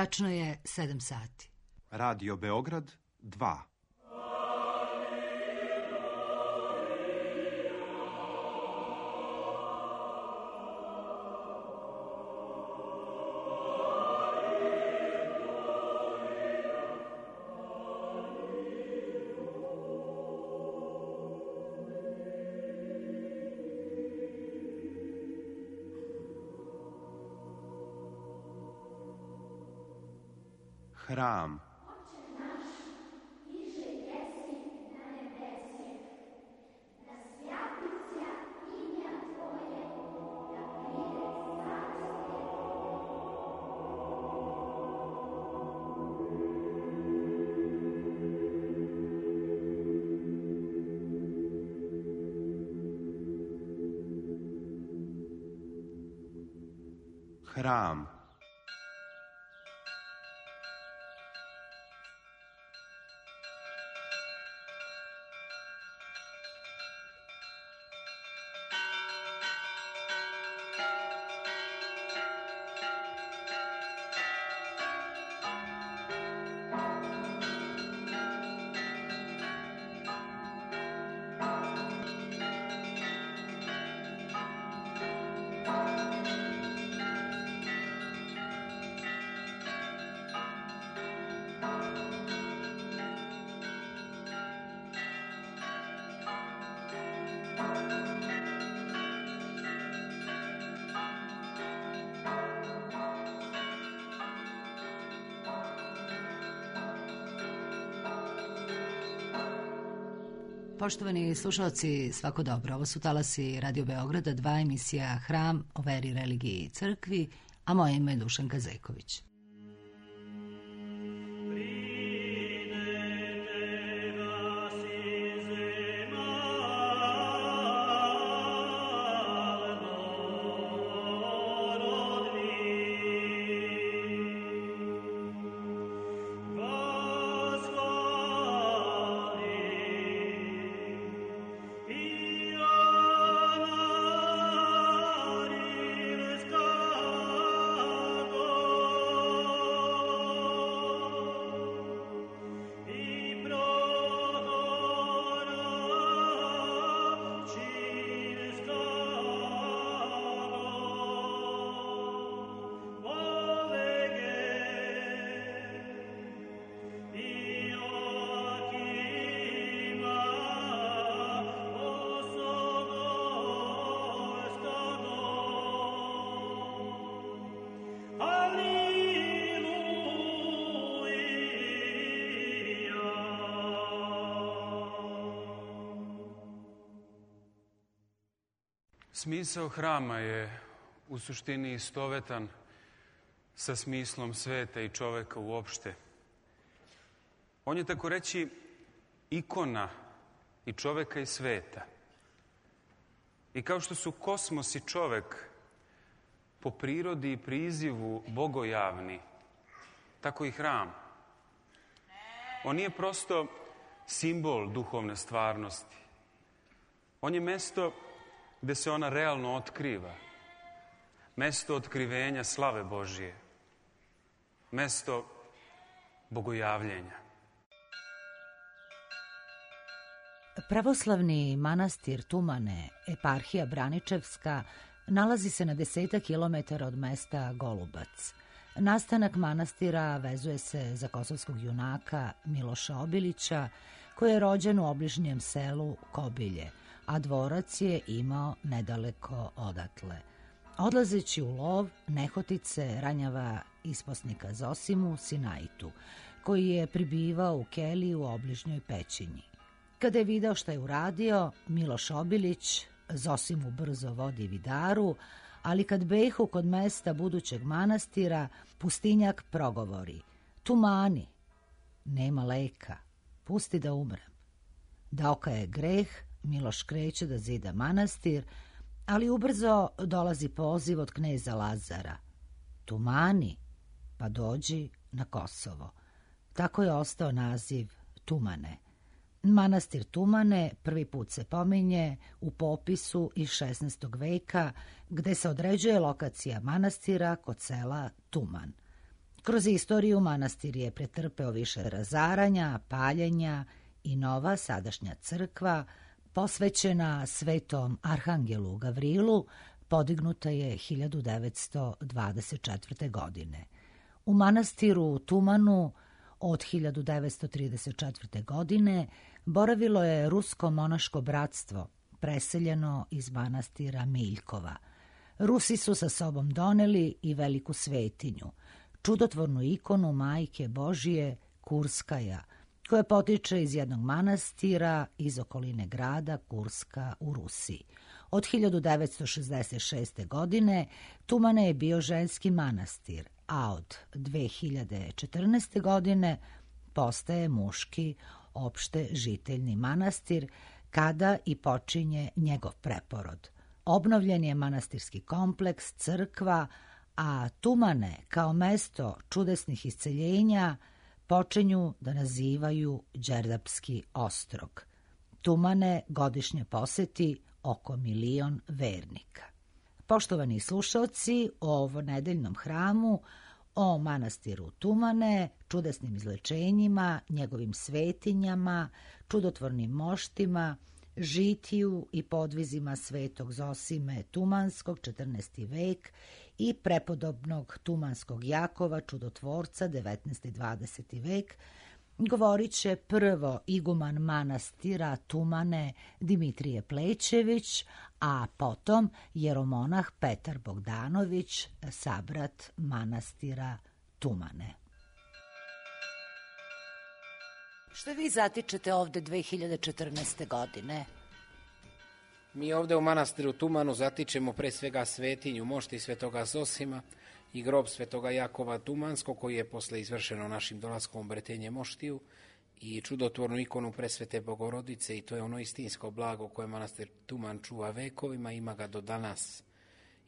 Tačno je 7 sati. Radio Beograd 2. Hram. Hram. Poštovani slušalci, svako dobro. Ovo su talasi Radio Beograda 2, emisija Hram o veri, religiji i crkvi, a moje ime je Dušanka Zeković. Smisao hrama je u suštini istovetan sa smislom sveta i čoveka uopšte. On je, tako reći, ikona i čoveka i sveta. I kao što su kosmos i čovek po prirodi i prizivu bogojavni, tako i hram. On nije prosto simbol duhovne stvarnosti. On je mesto gde se ona realno otkriva. Mesto otkrivenja slave Božije. Mesto bogojavljenja. Pravoslavni manastir Tumane, eparhija Braničevska, nalazi se na 10 kilometara od mesta Golubac. Nastanak manastira vezuje se za kosovskog junaka Miloša Obilića, koji je rođen u obližnjem selu Kobilje, a dvorac je imao nedaleko odatle. Odlazeći u lov, nehotice ranjava isposnika Zosimu Sinaitu, koji je pribivao u keliji u obližnjoj pećini. Kada je video šta je uradio, Miloš Obilić Zosimu brzo vodi vidaru, ali kad behu kod mesta budućeg manastira, pustinjak progovori: "Tumani, nema leka, pusti da umrem." Da okaje greh, Miloš kreće da zida manastir, ali ubrzo dolazi poziv od kneza Lazara: "Tumani, pa dođi na Kosovo." Tako je ostao naziv Tumane. Manastir Tumane prvi put se pominje u popisu iz 16. veka, gde se određuje lokacija manastira kod sela Tuman. Kroz istoriju manastir je pretrpeo više razaranja, paljenja i nova sadašnja crkva, posvećena svetom arhangelu Gavrilu, podignuta je 1924. godine. U manastiru Tumanu od 1934. godine boravilo je rusko monaško bratstvo, preseljeno iz manastira Miljkova. Rusi su sa sobom doneli i veliku svetinju, čudotvornu ikonu Majke Božije Kurskaja, koja potiče iz jednog manastira iz okoline grada Kurska u Rusiji. Od 1966. godine Tumane je bio ženski manastir, a od 2014. godine postaje muški opšte žiteljni manastir, kada i počinje njegov preporod. Obnovljen je manastirski kompleks, crkva, a Tumane kao mesto čudesnih isceljenja počinju da nazivaju Đerdapski ostrog. Tumane godišnje poseti oko 1 milion vernika. Poštovani slušalci, o nedeljnom hramu, o manastiru Tumane, čudesnim izlečenjima, njegovim svetinjama, čudotvornim moštima, žitiju i podvizima svetog Zosime Tumanskog, 14. vek, i prepodobnog Tumanskog Jakova, čudotvorca, 19. i 20. vek, govorit će prvo iguman manastira Tumane Dimitrije Plećević, a potom jeromonah Petar Bogdanović, sabrat manastira Tumane. Što vi zatičete ovde 2014. godine? Mi ovde u manastiru Tumanu zatičemo pre svega svetinju mošti svetoga Zosima i grob svetoga Jakova Tumanskog, koji je posle izvršeno našim dolaskom u Bretenje moštiju, i čudotvornu ikonu presvete Bogorodice, i to je ono istinsko blago koje manastir Tuman čuva vekovima, ima ga do danas.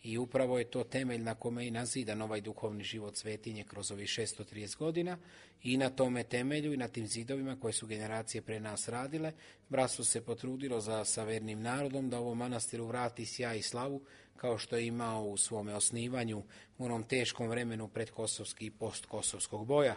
I upravo je to temelj na kome je i nazidan ovaj duhovni život svetinje kroz ovih 630 godina, i na tome temelju i na tim zidovima koje su generacije pre nas radile, bratstvo se potrudilo sa vernim narodom da ovom manastiru vrati sjaj i slavu kao što je imao u svome osnivanju u onom teškom vremenu predkosovskih i postkosovskog boja.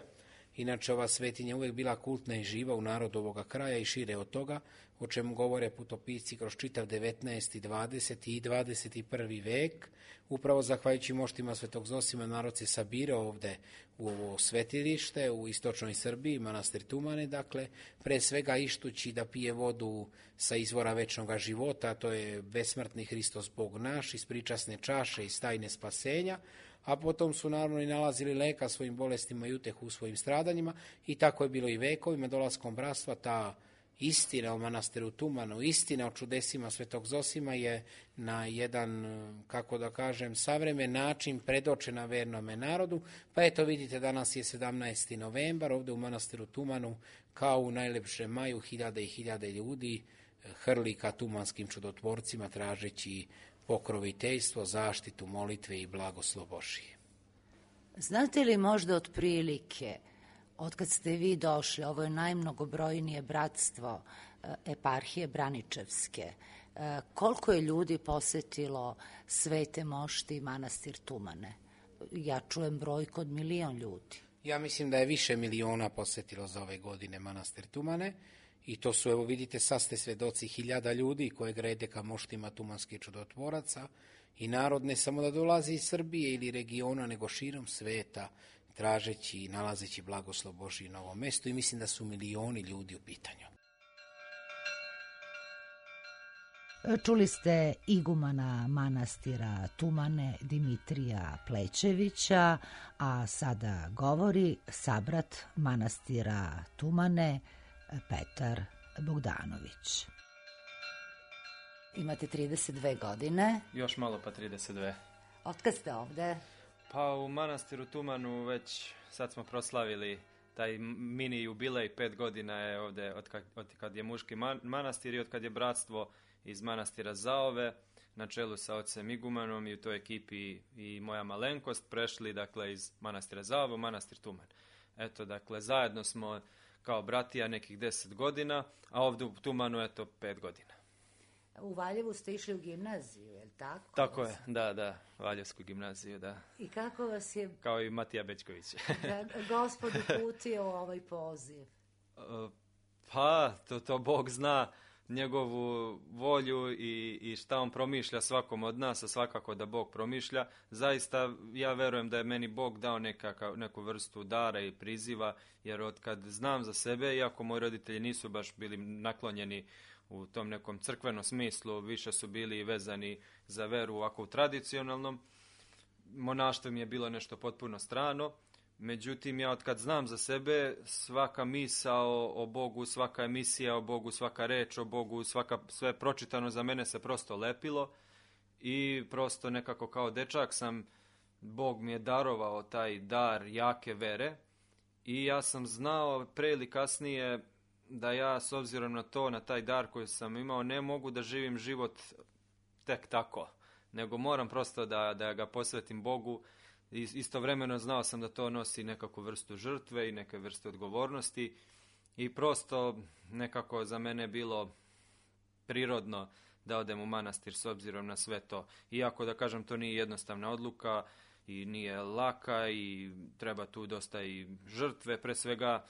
Inače, ova svetinja uvek bila kultna i živa u narodu ovoga kraja i šire od toga, o čemu govore putopisci kroz čitav 19. 20. i 21. vek. Upravo zahvaljujući moštima svetog Zosima narod se sabirao ovde u ovo svetilište u istočnoj Srbiji, manastir Tumane, dakle, pre svega ištući da pije vodu sa izvora večnog života, to je besmrtni Hristos Bog naš, iz pričasne čaše, iz tajne spasenja, a potom su naravno i nalazili leka svojim bolestima i utehu u svojim stradanjima, i tako je bilo i vekovima. Dolaskom bratstva ta istina o manastiru Tumanu, istina o čudesima svetog Zosima je na jedan, kako da kažem, savremen način predočena vernome narodu. Pa eto, vidite, danas je 17. novembar, ovde u manastiru Tumanu, kao u najlepšem maju, hiljade i hiljade ljudi hrli ka tumanskim čudotvorcima tražeći pokroviteljstvo, zaštitu, molitve i blagoslov Božije. Znate li možda otprilike, otkad ste vi došli, ovo je najmnogobrojnije bratstvo eparhije Braničevske, koliko je ljudi posetilo svete mošti i manastir Tumane? Ja čujem brojku od 1 milion ljudi. Ja mislim da je više miliona posetilo za ove godine manastir Tumane, i to su, evo vidite, sad ste svedoci 1000 ljudi koje grede ka moštima tumanskih čudotvoraca, i narod ne samo da dolazi iz Srbije ili regiona, nego širom sveta, tražeći i nalazeći blagoslov Božji na ovom mestu, i mislim da su milioni ljudi u pitanju. Čuli ste igumana manastira Tumane Dimitrija Plećevića, a sada govori sabrat manastira Tumane Petar Bogdanović. Imate 32 godine. Još malo pa 32. Otkad ste ovde? Pa u manastiru Tumanu već sad smo proslavili taj mini jubilej, 5 godina je ovde od kad je muški manastir i od kad je bratstvo iz manastira Zaove na čelu sa ocem igumanom i u toj ekipi i moja malenkost prešli, dakle, iz manastira Zaove u manastir Tuman. Eto, dakle, zajedno smo kao bratija nekih 10 godina, a ovde u Tumanu, eto, 5 godina. U Valjevu ste išli u gimnaziju, je li tako? Tako je, da, Valjevsku gimnaziju, da. I kako vas je Kao i Matija Bećković. Gospod uputio ovaj poziv? Pa, to Bog zna njegovu volju i šta on promišlja svakom od nas, a svakako da Bog promišlja. Zaista ja verujem da je meni Bog dao neku vrstu dara i priziva, jer od kad znam za sebe, iako moji roditelji nisu baš bili naklonjeni u tom nekom crkvenom smislu, više su bili vezani za veru ovako u tradicionalnom, monaštvo mi je bilo nešto potpuno strano. Međutim, ja od kad znam za sebe, svaka misao o Bogu, svaka emisija o Bogu, svaka reč o Bogu, sve pročitano za mene se prosto lepilo i prosto nekako kao dečak Bog mi je darovao taj dar jake vere i ja sam znao pre ili kasnije da ja s obzirom na to, na taj dar koji sam imao, ne mogu da živim život tek tako, nego moram prosto da ga posvetim Bogu. Istovremeno znao sam da to nosi nekakvu vrstu žrtve i neke vrste odgovornosti i prosto nekako za mene bilo prirodno da odem u manastir s obzirom na sve to. Iako da kažem to nije jednostavna odluka i nije laka i treba tu dosta i žrtve, pre svega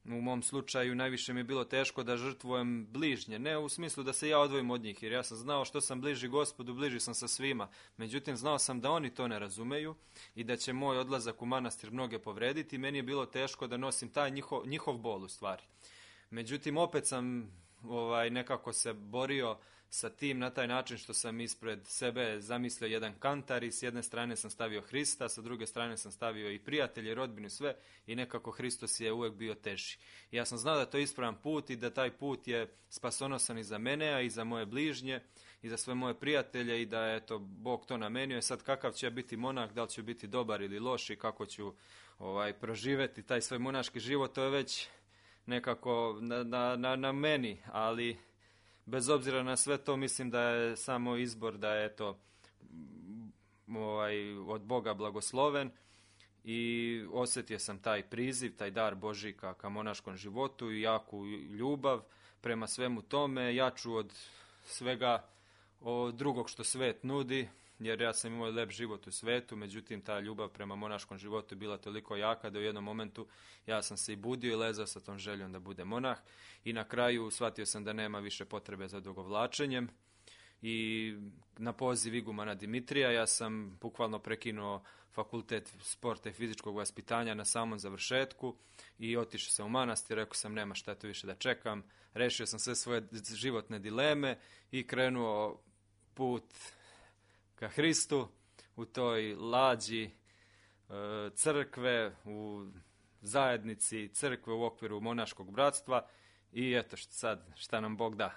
u mom slučaju najviše mi je bilo teško da žrtvujem bližnje, ne u smislu da se ja odvojim od njih, jer ja sam znao što sam bliži Gospodu, bliži sam sa svima. Međutim, znao sam da oni to ne razumeju i da će moj odlazak u manastir mnoge povrediti. Meni je bilo teško da nosim taj njihov bol u stvari. Međutim, opet sam nekako se borio sa tim na taj način što sam ispred sebe zamislio jedan kantar i s jedne strane sam stavio Hrista, sa druge strane sam stavio i prijatelje, rodbinu, sve i nekako Hristos je uvek bio teži. I ja sam znao da to je ispravan put i da taj put je spasonosan i za mene, a i za moje bližnje i za sve moje prijatelje i da je Bog to namenio. I sad kakav će biti monah, da li ću biti dobar ili loš i kako ću proživeti taj svoj monaški život, to je već nekako na meni, ali bez obzira na sve to mislim da je samo izbor da je od Boga blagosloven i osjetio sam taj priziv, taj dar Božji ka monaškom životu i jaku ljubav prema svemu tome, jaču od svega drugog što svet nudi, jer ja sam imao lep život u svetu, međutim ta ljubav prema monaškom životu je bila toliko jaka da u jednom momentu ja sam se i budio i lezao sa tom željom da bude monah i na kraju shvatio sam da nema više potrebe za odugovlačenjem i na poziv igumana Dimitrija ja sam bukvalno prekinuo fakultet sporta i fizičkog vaspitanja na samom završetku i otišao sam u manastir, rekao sam nema šta to više da čekam, rešio sam sve svoje životne dileme i krenuo put ka Hristu u toj lađi crkve, u zajednici crkve u okviru monaškog bratstva i eto šta nam Bog da.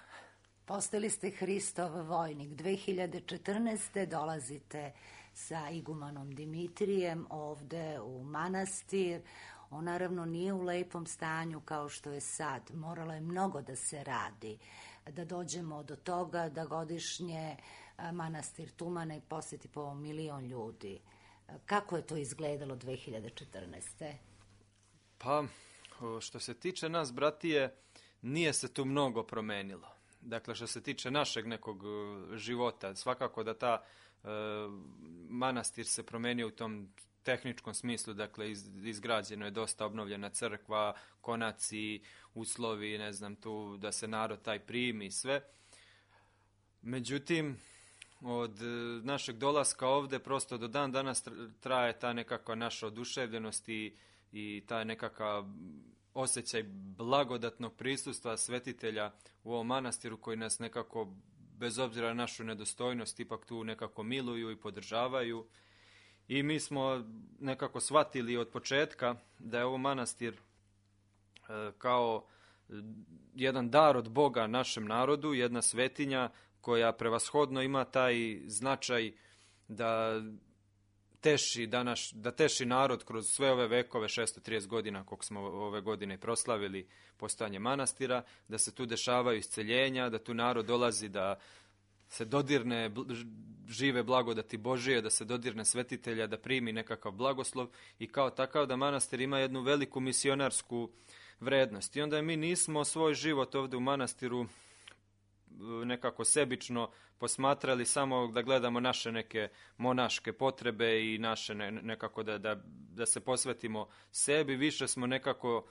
Postali ste Hristov vojnik. 2014. dolazite sa igumanom Dimitrijem ovde u manastir. On naravno nije u lepom stanju kao što je sad. Moralo je mnogo da se radi, da dođemo do toga da godišnje manastir Tumane poseti po 1 milion ljudi. Kako je to izgledalo 2014. Pa, što se tiče nas, bratije, nije se tu mnogo promenilo. Dakle, što se tiče našeg nekog života, svakako da ta manastir se promenio u tom tehničkom smislu, dakle, izgrađeno je dosta obnovljena crkva, konaci, uslovi, ne znam, tu da se narod taj primi i sve. Međutim, od našeg dolaska ovde prosto do dan danas traje ta nekakva naša oduševljenost i ta nekakav osjećaj blagodatnog prisustva svetitelja u ovom manastiru koji nas nekako, bez obzira na našu nedostojnost, ipak tu nekako miluju i podržavaju. I mi smo nekako shvatili od početka da je ovo manastir kao jedan dar od Boga našem narodu, jedna svetinja koja prevashodno ima taj značaj da teši narod kroz sve ove vekove, 630 godina koliko smo ove godine proslavili postojanje manastira, da se tu dešavaju isceljenja, da tu narod dolazi da se dodirne žive blagodati Božije, da se dodirne svetitelja, da primi nekakav blagoslov i kao takav da manastir ima jednu veliku misionarsku vrednost. I onda mi nismo svoj život ovde u manastiru nekako sebično posmatrali samo da gledamo naše neke monaške potrebe i naše nekako da se posvetimo sebi. Više smo nekako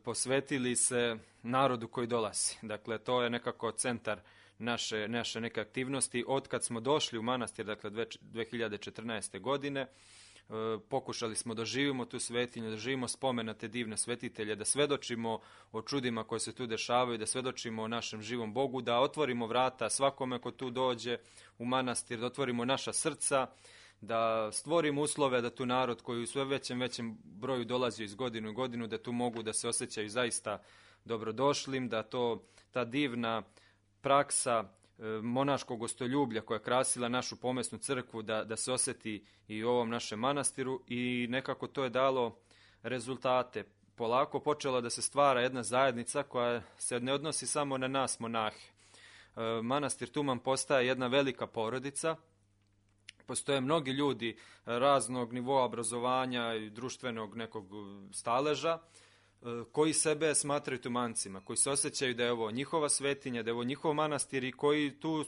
posvetili se narodu koji dolazi. Dakle, to je nekako centar naše neke aktivnosti. Od kad smo došli u manastir, dakle 2014. godine, pokušali smo da živimo tu svetinju, da živimo spomen na te divne svetitelje, da svedočimo o čudima koje se tu dešavaju, da svedočimo o našem živom Bogu, da otvorimo vrata svakome ko tu dođe u manastir, da otvorimo naša srca, da stvorimo uslove da tu narod koji u sve većem broju dolazi iz godinu u godinu, da tu mogu da se osjećaju zaista dobrodošlim, da ta divna praksa monaškog gostoljublja koja je krasila našu pomesnu crkvu, da se osjeti i u ovom našem manastiru i nekako to je dalo rezultate. Polako počela da se stvara jedna zajednica koja se ne odnosi samo na nas monahe. Manastir Tuman postaje jedna velika porodica. Postoje mnogi ljudi raznog nivoa obrazovanja i društvenog nekog staleža koji sebe smatraju tumancima, koji se osjećaju da je ovo njihova svetinja, da je ovo njihov manastir i koji tu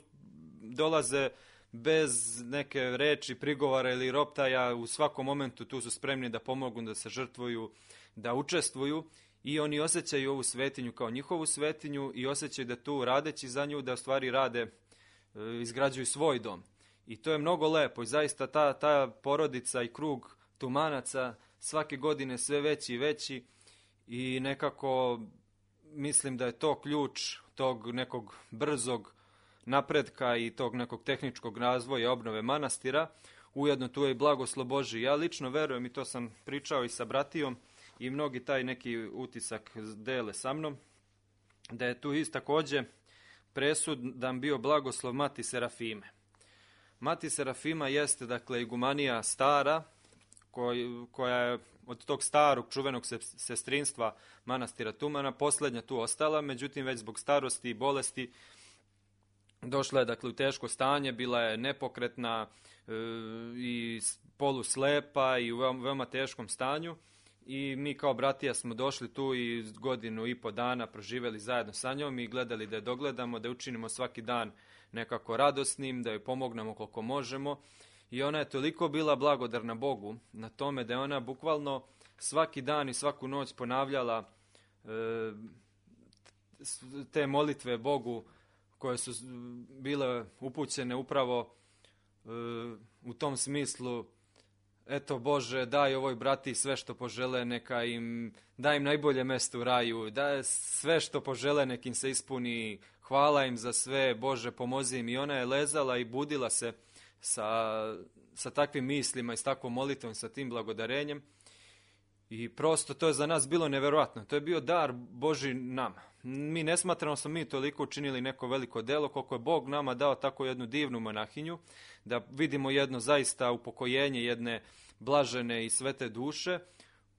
dolaze bez neke reči, prigovara ili roptaja, u svakom momentu tu su spremni da pomognu, da se žrtvuju, da učestvuju i oni osjećaju ovu svetinju kao njihovu svetinju i osjećaju da tu radeći za nju, da u stvari rade, izgrađuju svoj dom. I to je mnogo lepo i zaista ta porodica i krug tumanaca svake godine sve veći i veći i nekako mislim da je to ključ tog nekog brzog napretka i tog nekog tehničkog razvoja i obnove manastira. Ujedno tu je i blagoslov Božji. Ja lično verujem i to sam pričao i sa bratijom i mnogi taj neki utisak dele sa mnom, da je tu također presudan bio blagoslov Mati Serafime. Mati Serafima jeste, dakle, igumanija stara, koja je od tog starog čuvenog sestrinstva manastira Tumana posljednja tu ostala, međutim već zbog starosti i bolesti došla je, dakle, u teško stanje, bila je nepokretna i poluslepa i u veoma teškom stanju i mi kao bratija smo došli tu i 1.5 godina proživjeli zajedno sa njom i gledali da je dogledamo, da je učinimo svaki dan nekako radosnim, da joj pomognemo koliko možemo. I ona je toliko bila blagodarna Bogu na tome da je ona bukvalno svaki dan i svaku noć ponavljala te molitve Bogu koje su bile upućene upravo u tom smislu: eto Bože, daj ovoj brati sve što požele, daj im najbolje mesto u raju, daj sve što požele, nek im se ispuni, hvala im za sve, Bože pomozi im. I ona je lezala i budila se sa takvim mislima i s takvom molitvom, sa tim blagodarenjem. I prosto to je za nas bilo nevjerojatno. To je bio dar Božji nama. Mi ne smatramo smo mi toliko učinili neko veliko delo koliko je Bog nama dao tako jednu divnu monahinju, da vidimo jedno zaista upokojenje jedne blažene i svete duše,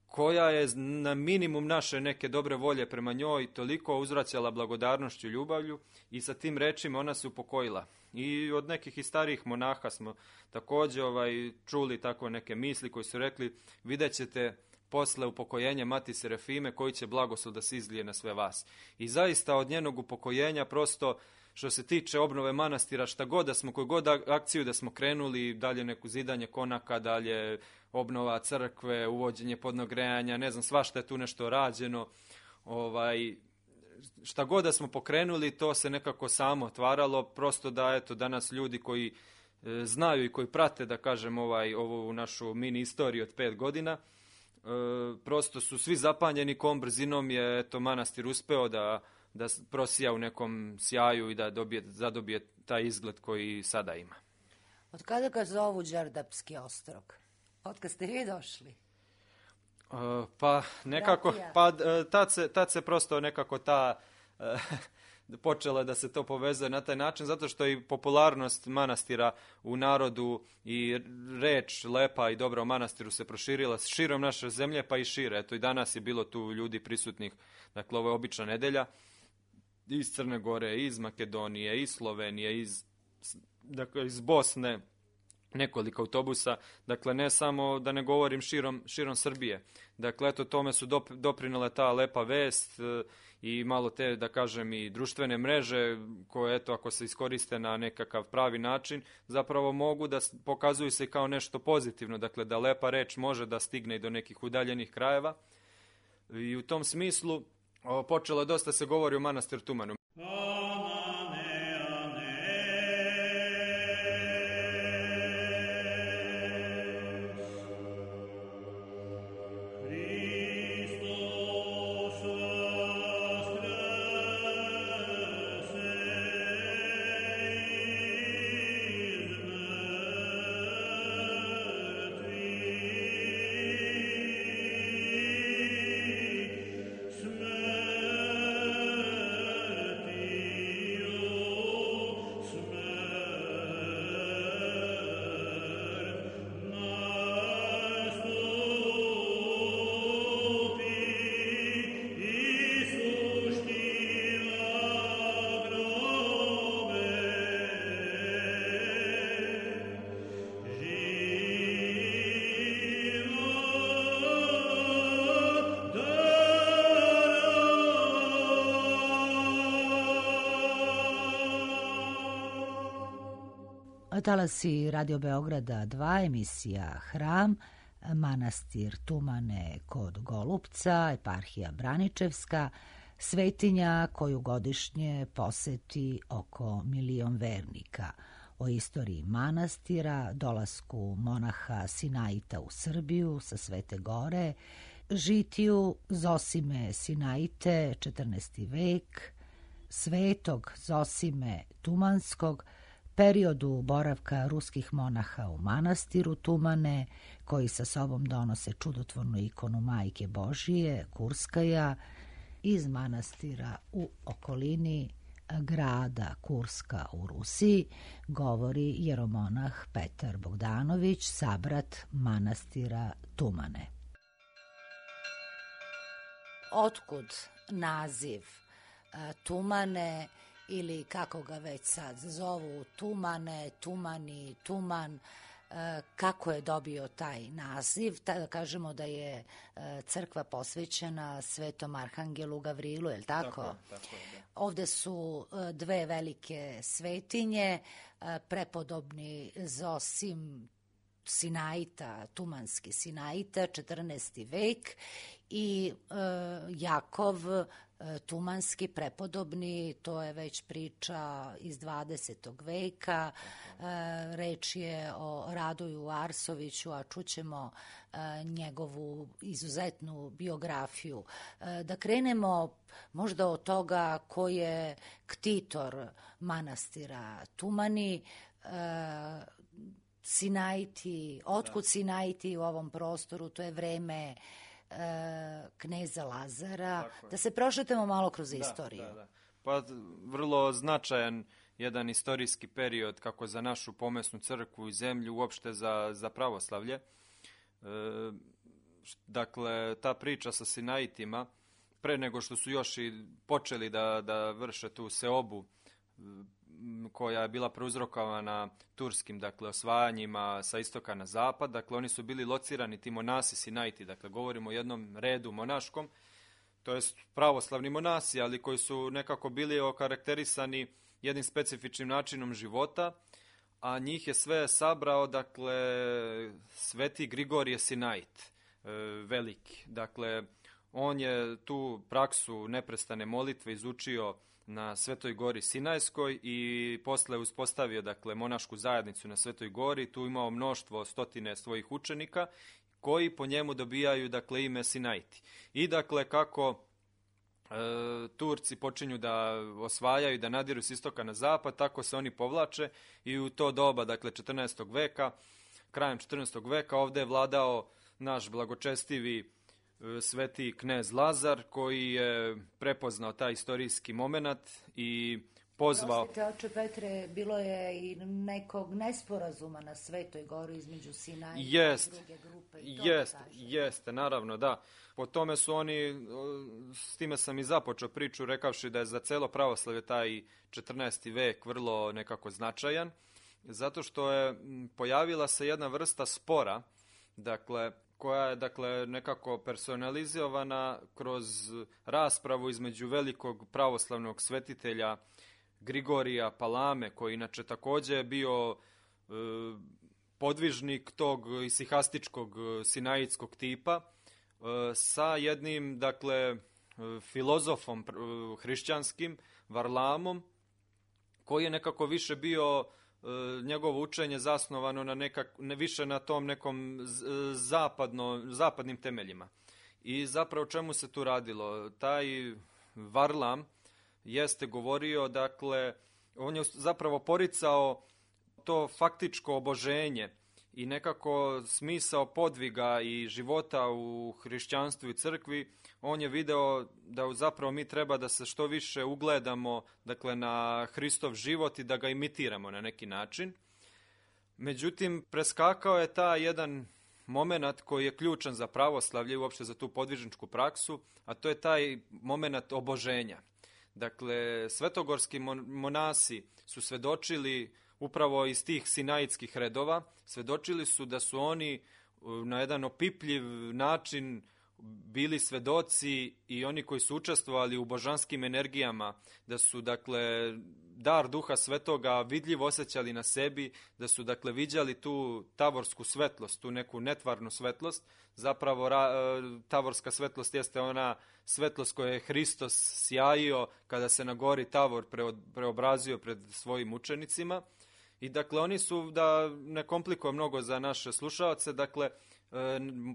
koja je na minimum naše neke dobre volje prema njoj toliko uzvraćala blagodarnošću i ljubavlju i sa tim rečima ona se upokojila. I od nekih i starijih monaha smo također čuli tako neke misli koji su rekli: vidjet ćete posle upokojenja Mati Serafime koji će blagoslov da se izlije na sve vas. I zaista od njenog upokojenja prosto što se tiče obnove manastira, šta god da smo, koju god akciju da smo krenuli, dalje neku zidanje konaka, dalje obnova crkve, uvođenje podnog grejanja, ne znam, svašta je tu nešto rađeno. Šta god da smo pokrenuli, to se nekako samo otvaralo, prosto da eto danas ljudi koji znaju i koji prate, da kažem, ovu našu mini istoriju od 5 godina, prosto su svi zapanjeni kom brzinom je eto manastir uspeo da prosija u nekom sjaju i da zadobije taj izgled koji sada ima. Od kada ga zovu Đerdapski ostrog? Od kad ste vi došli? Pa nekako, tad se prosto nekako počela da se to povezuje na taj način, zato što i popularnost manastira u narodu i reč lepa i dobra o manastiru se proširila širom naše zemlje, pa i šire. Eto i danas je bilo tu ljudi prisutnih, dakle ovo je obična nedelja, iz Crne Gore, iz Makedonije, iz Slovenije, iz Bosne, nekoliko autobusa, dakle ne samo da ne govorim širom Srbije. Dakle, eto tome su doprinele ta lepa vest i malo te, da kažem, i društvene mreže koje, eto, ako se iskoriste na nekakav pravi način, zapravo mogu da pokazuju se kao nešto pozitivno, dakle da lepa reč može da stigne i do nekih udaljenih krajeva. I u tom smislu počelo dosta se govori o manastiru Tumanu. Talasi Radio Beograda 2, emisija Hram, manastir Tumane kod Golupca, eparhija Braničevska, svetinja koju godišnje poseti oko 1.000.000 vernika. O istoriji manastira, dolasku monaha Sinaita u Srbiju sa Svete Gore, žitiju Zosime Sinaite, 14. vek, svetog Zosime Tumanskog, periodu boravka ruskih monaha u manastiru Tumane, koji sa sobom donose čudotvornu ikonu Majke Božije, Kurskaja, iz manastira u okolini grada Kurska u Rusiji, govori jeromonah Petar Bogdanović, sabrat manastira Tumane. Otkud naziv Tumane, ili kako ga već sad zovu, Tumane, Tumani, Tuman, kako je dobio taj naziv? Da kažemo da je crkva posvećena Svetom Arhangelu Gavrilu, je li tako? Tako je, da. Ovde su dve velike svetinje, prepodobni Zosim Sinaita, Tumanski Sinaita, 14. vek, i Jakov Tumanski prepodobni, to je već priča iz 20. veka. Reč je o Radoju Arsoviću, a čućemo njegovu izuzetnu biografiju. Da krenemo možda od toga ko je ktitor manastira Tumani, Sinaiti, otkud Sinaiti u ovom prostoru, to je vreme kneza Lazara. Da se prošetamo malo kroz istoriju. Da. Pa vrlo značajan jedan istorijski period kako za našu pomesnu crkvu i zemlju, uopšte za pravoslavlje. Dakle, ta priča sa Sinaitima, pre nego što su još i počeli da vrše tu seobu koja je bila prouzrokovana turskim, dakle, osvajanjima sa istoka na zapad. Dakle, oni su bili locirani, ti monasi Sinaiti, dakle, govorimo o jednom redu monaškom, to jest pravoslavni monasi, ali koji su nekako bili okarakterisani jednim specifičnim načinom života, a njih je sve sabrao, dakle, Sveti Grigorije Sinait, veliki. Dakle, on je tu praksu neprestane molitve izučio na Svetoj gori Sinajskoj i posle uspostavio, dakle, monašku zajednicu na Svetoj gori. Tu imao mnoštvo, stotine svojih učenika koji po njemu dobijaju, dakle, ime Sinaiti. I, dakle, kako Turci počinju da osvajaju, da nadiru s istoka na zapad, tako se oni povlače i u to doba, dakle, 14. veka, krajem 14. veka ovde je vladao naš blagočestivi sveti knez Lazar, koji je prepoznao taj istorijski moment i pozvao... Prostite, oče Petre, bilo je i nekog nesporazuma na Svetoj gori između Sinaita i druge grupe. Jeste, naravno, da. Po tome su oni, s time sam i započeo priču, rekavši da je za celo pravoslavlje taj 14. vek vrlo nekako značajan, zato što je pojavila se jedna vrsta spora, dakle, koja je nekako personalizovana kroz raspravu između velikog pravoslavnog svetitelja Grigorija Palame, koji inače također je bio podvižnik tog isihastičkog sinaitskog tipa, sa jednim, filozofom hrišćanskim, Varlamom, koji je nekako više bio njegovo učenje zasnovano više na tom nekom zapadnim temeljima. I zapravo čemu se tu radilo? Taj Varlam jeste govorio, on je zapravo poricao to faktičko oboženje i nekako smisao podviga i života u hrišćanstvu i crkvi. On je video da zapravo mi treba da se što više ugledamo na Hristov život i da ga imitiramo na neki način. Međutim, preskakao je taj jedan moment koji je ključan za pravoslavlje i uopšte za tu podvižničku praksu, a to je taj moment oboženja. Dakle, svetogorski monasi su svedočili upravo iz tih sinaitskih redova, svedočili su da su oni na jedan opipljiv način bili svedoci i oni koji su učestvovali u božanskim energijama, da su dar Duha Svetoga vidljivo osjećali na sebi, da su viđali tu tavorsku svetlost, tu neku netvarnu svetlost. Zapravo tavorska svetlost jeste ona svetlost koju je Hristos sjajio kada se na gori Tavor preobrazio pred svojim učenicima. I oni su, da ne komplikuje mnogo za naše slušaoce,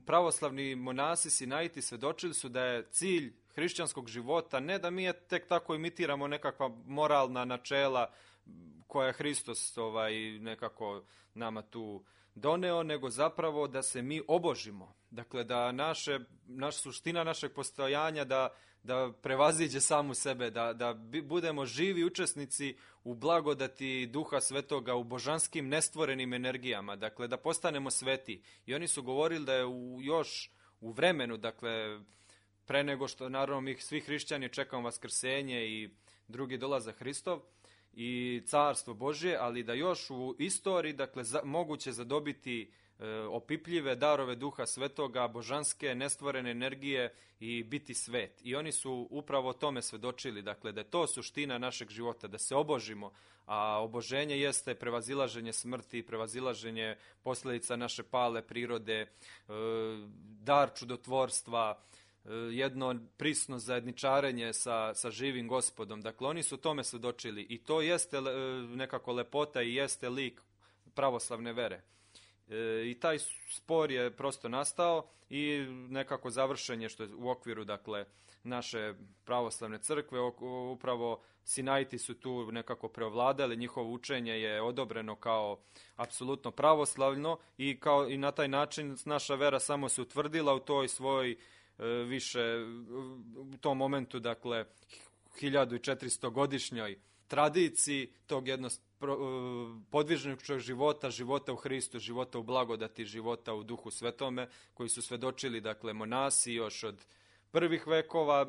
pravoslavni monasi Sinaiti svedočili su da je cilj hrišćanskog života ne da mi tek tako imitiramo nekakva moralna načela koja je Hristos nekako nama tu doneo, nego zapravo da se mi obožimo. Dakle, da suština našeg postojanja da prevaziđe samu sebe, da budemo živi učesnici u blagodati Duha Svetoga, u božanskim nestvorenim energijama, dakle da postanemo sveti. I oni su govorili da je još u vremenu, pre nego što naravno mi svi hrišćani čekamo vaskrsenje i drugi dolazak Hristov i carstvo Božje, ali da još u istoriji moguće zadobiti opipljive darove Duha Svetoga, božanske nestvorene energije i biti svet. I oni su upravo tome svedočili, da je to suština našeg života, da se obožimo, a oboženje jeste prevazilaženje smrti, prevazilaženje posljedica naše pale prirode, dar čudotvorstva, jedno prisno zajedničarenje sa živim Gospodom. Dakle, oni su tome svedočili i to jeste nekako lepota i jeste lik pravoslavne vere. I taj spor je prosto nastao i nekako završen je što je u okviru naše pravoslavne crkve. Upravo Sinaiti su tu nekako preovladali, njihovo učenje je odobreno kao apsolutno pravoslavno i na taj način naša vera samo se utvrdila u toj svojoj u tom momentu 1400-godišnjoj tradiciji tog podvižničkog života u Hristu, života u blagodati, života u Duhu Svetome, koji su svedočili monasi još od prvih vekova,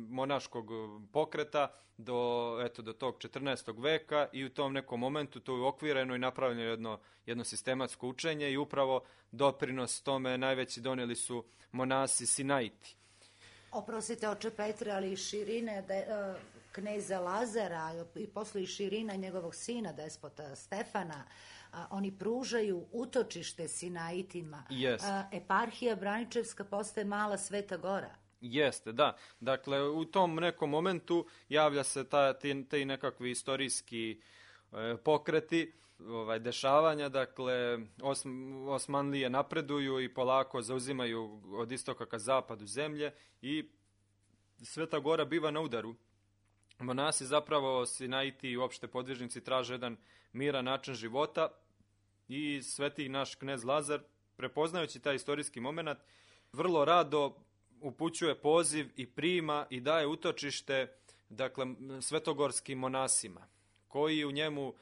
monaškog pokreta do tog 14. veka i u tom nekom momentu to je okvireno i napravljeno jedno sistematsko učenje i upravo doprinos tome najveći donijeli su monasi Sinaiti. Oprostite, oče Petre, ali širine kneza Lazara i posle i širina njegovog sina, despota Stefana, oni pružaju utočište Sinaitima. Yes. Eparhija Braničevska postaje mala Sveta Gora. Jeste, da. Dakle, u tom nekom momentu javlja se ti nekakvi istorijski pokreti, dešavanja, Osmanlije napreduju i polako zauzimaju od istoka ka zapadu zemlje i Sveta Gora biva na udaru. Monasi zapravo, Sinaiti i uopšte podvižnici traže jedan miran način života i sveti naš knez Lazar, prepoznajući taj istorijski moment, vrlo rado upućuje poziv i prima i daje utočište svetogorskim monasima, koji u njemu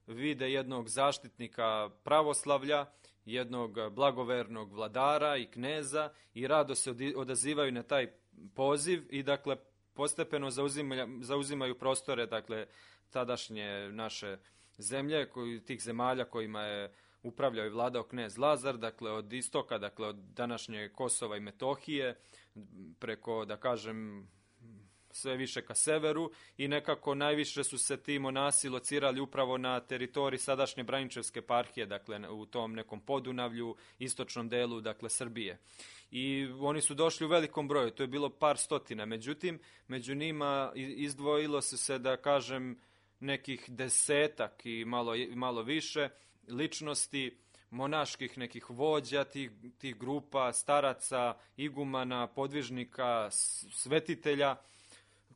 vide jednog zaštitnika pravoslavlja, jednog blagovernog vladara i kneza i rado se odazivaju na taj poziv i postepeno zauzimaju prostore tadašnje naše zemlje, tih zemalja kojima je upravljao i vladao knez Lazar, dakle od istoka, dakle od današnje Kosova i Metohije, preko, da kažem, sve više ka severu i nekako najviše su se ti monasi locirali upravo na teritoriji sadašnje Braničevske eparhije, dakle u tom nekom Podunavlju, istočnom delu, dakle Srbije. I oni su došli u velikom broju, to je bilo par stotina, međutim, među njima izdvojilo se, da kažem, nekih desetak i malo više ličnosti, monaških nekih vođa, tih grupa, staraca, igumana, podvižnika, svetitelja,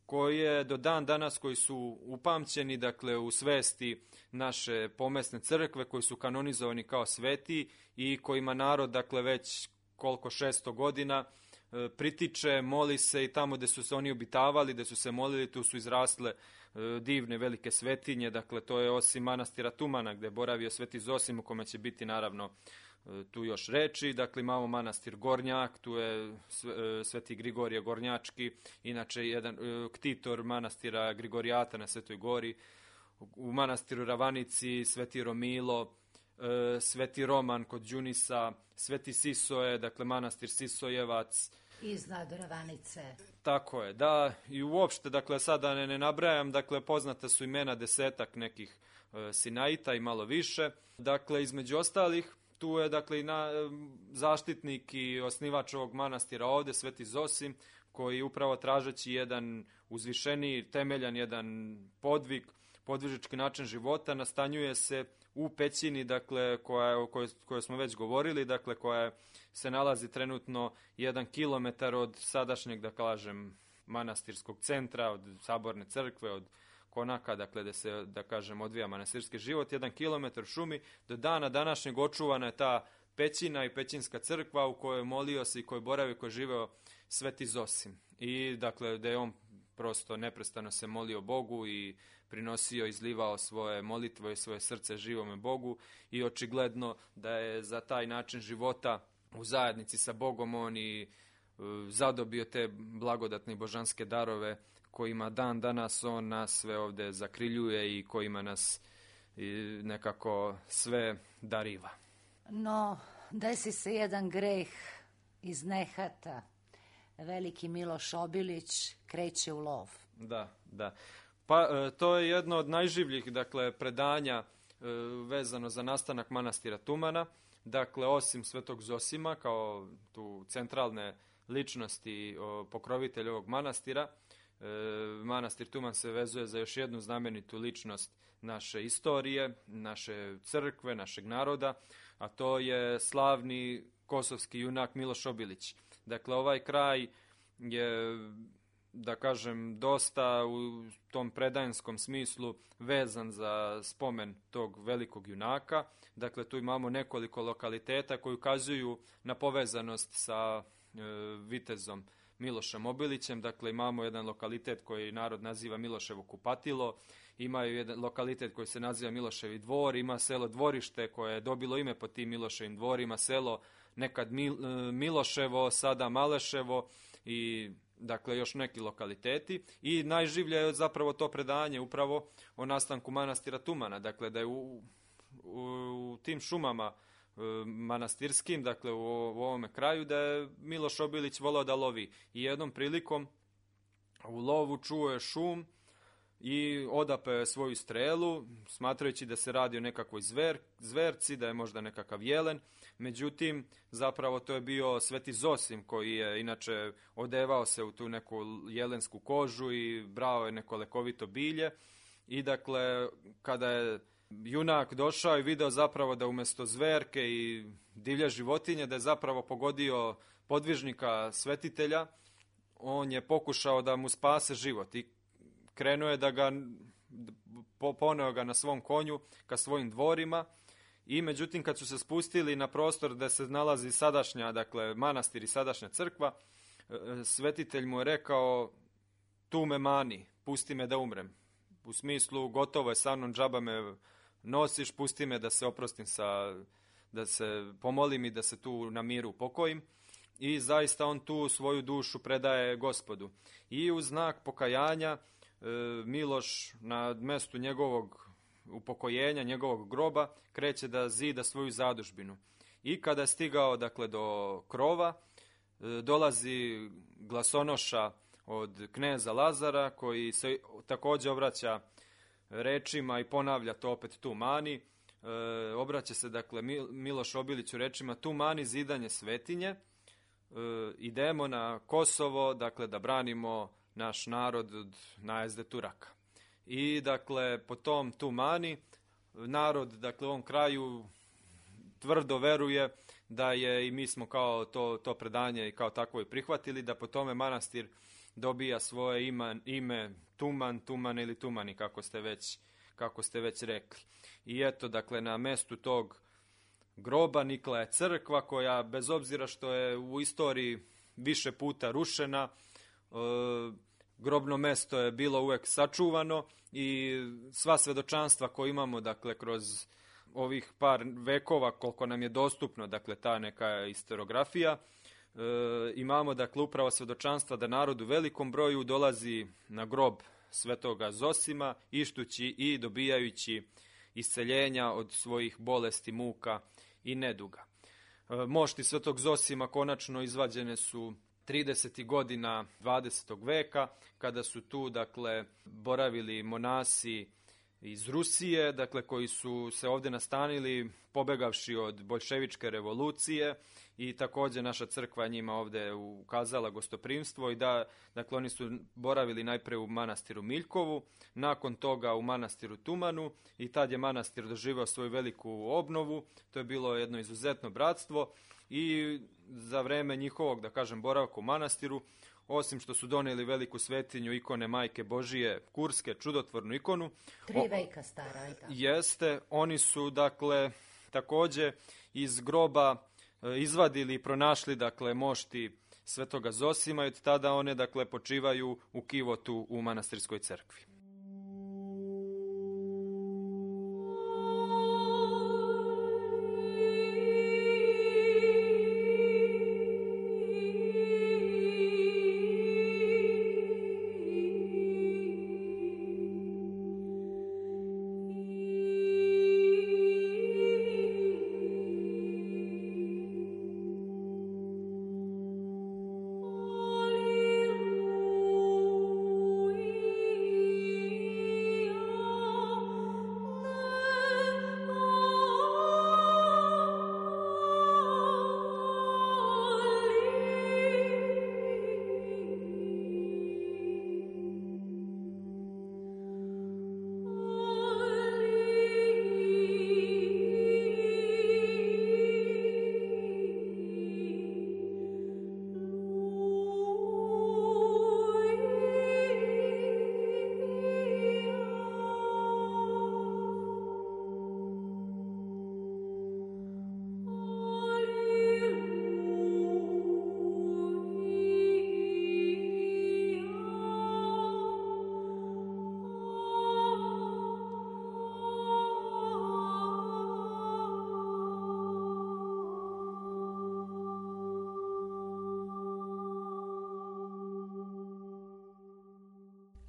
koje do dan danas, koji su upamćeni, dakle, u svesti naše pomesne crkve, koji su kanonizovani kao sveti i kojima narod, dakle, već koliko 600 godina pritiče, moli se i tamo gde su se oni obitavali, gde su se molili, tu su izrasle divne velike svetinje, dakle, to je osim manastira Tumana, gde je boravio sveti Zosim, u kome će biti, naravno, tu još reči, dakle imamo manastir Gornjak, tu je sveti Grigorije Gornjački, inače jedan ktitor manastira Grigorijata na Svetoj Gori, u manastiru Ravanici sveti Romilo, sveti Roman kod Đunisa, sveti Sisoje, dakle manastir Sisojevac. Iznad Ravanice. Tako je, da, i uopšte, dakle, sada ne nabrajam, dakle, poznata su imena desetak nekih Sinaita i malo više. Dakle, između ostalih, tu je, dakle, i zaštitnik i osnivač ovog manastira ovde, sveti Zosim, koji upravo tražeći jedan uzvišeniji, temeljan jedan podvižički način života, nastanjuje se u pećini, dakle, o kojoj smo već govorili, dakle, koja se nalazi trenutno 1 kilometar od sadašnjeg, da kažem, manastirskog centra, od Saborne crkve, od Konaka, dakle, gde se, da kažem, odvija manastirski život, 1 kilometar šumi. Do dana današnjeg očuvana je ta pećina i pećinska crkva u kojoj molio se i kojoj boravio, koji je živeo sveti Zosim. I, dakle, da je on prosto neprestano se molio Bogu i prinosio, izlivao svoje molitve i svoje srce živome Bogu i očigledno da je za taj način života u zajednici sa Bogom on i zadobio te blagodatne i božanske darove kojima dan danas on nas sve ovde zakriljuje i kojima nas nekako sve dariva. No, desi se jedan greh iz nehata. Veliki Miloš Obilić kreće u lov. Da. Pa to je jedno od najživljih, dakle, predanja vezano za nastanak manastira Tumana. Dakle, osim svetog Zosima kao tu centralne ličnosti pokrovitelja ovog manastira, manastir Tuman se vezuje za još jednu znamenitu ličnost naše istorije, naše crkve, našeg naroda, a to je slavni kosovski junak Miloš Obilić. Dakle, ovaj kraj je, da kažem, dosta u tom predanskom smislu vezan za spomen tog velikog junaka. Dakle, tu imamo nekoliko lokaliteta koji ukazuju na povezanost sa vitezom Milošem Obilićem. Dakle, imamo jedan lokalitet koji narod naziva Miloševo kupatilo, imaju jedan lokalitet koji se naziva Miloševi dvor, ima selo Dvorište koje je dobilo ime po tim Miloševim dvorima, selo nekad Miloševo, sada Maleševo i, dakle, još neki lokaliteti. I najživlje je zapravo to predanje upravo o nastanku manastira Tumana. Dakle, da je u tim šumama manastirskim, dakle u ovome kraju, da je Miloš Obilić volao da lovi. I jednom prilikom u lovu čuo je šum i odape svoju strelu, smatrajući da se radi o nekakvoj zverci, da je možda nekakav jelen. Međutim, zapravo to je bio sveti Zosim, koji je inače odevao se u tu neku jelensku kožu i brao je neko lekovito bilje. I, dakle, kada je junak došao i video zapravo da umesto zverke i divlje životinje, da je zapravo pogodio podvižnika svetitelja, on je pokušao da mu spase život i krenuo je da ga, poneo ga na svom konju ka svojim dvorima. I međutim, kad su se spustili na prostor gde se nalazi sadašnja, dakle, manastir i sadašnja crkva, svetitelj mu je rekao: tu me mani, pusti me da umrem. U smislu, gotovo je sa mnom, džaba me nosiš, pusti me da se oprostim, da se pomolim i da se tu na miru upokojim. I zaista on tu svoju dušu predaje Gospodu. I u znak pokajanja Miloš na mestu njegovog upokojenja njegovog groba kreće da zida svoju zadužbinu. I kada je stigao dakle do krova, dolazi glasonoša od kneza Lazara koji se također obraća rečima i ponavlja to opet tu mani. Obraća se dakle Miloš Obiliću rečima tu mani zidanje svetinje. Idemo na Kosovo dakle da branimo naš narod od najezde Turaka. I dakle po tom tu mani narod dakle u ovom kraju tvrdo veruje da je, i mi smo kao to predanje i kao takvo i prihvatili, da po tome manastir dobija svoje ime Tuman ili Tumani, kako ste već rekli. I eto, dakle, na mestu tog groba nikla je crkva koja, bez obzira što je u istoriji više puta rušena, grobno mesto je bilo uvek sačuvano i sva svedočanstva koje imamo, dakle, kroz ovih par vekova, koliko nam je dostupno, dakle, ta neka historiografija, imamo, dakle, upravo svedočanstva da narod u velikom broju dolazi na grob svetoga Zosima, ištući i dobijajući isceljenja od svojih bolesti, muka i neduga. Mošti svetog Zosima konačno izvađene su 30. godina 20. veka, kada su tu, dakle, boravili monasi iz Rusije, dakle, koji su se ovdje nastanili pobegavši od boljševičke revolucije, i također naša crkva njima ovdje ukazala gostoprimstvo i da, dakle, oni su boravili najpre u manastiru Miljkovu, nakon toga u manastiru Tumanu, i tad je manastir doživao svoju veliku obnovu. To je bilo jedno izuzetno bratstvo i za vreme njihovog, da kažem, boravka u manastiru, osim što su donijeli veliku svetinju ikone Majke Božije, Kurske, čudotvornu ikonu. 3 veka stara, i tako. Jeste, oni su, dakle, također iz groba izvadili i pronašli, dakle, mošti svetoga Zosima i od tada one, dakle, počivaju u kivotu u manastirskoj crkvi.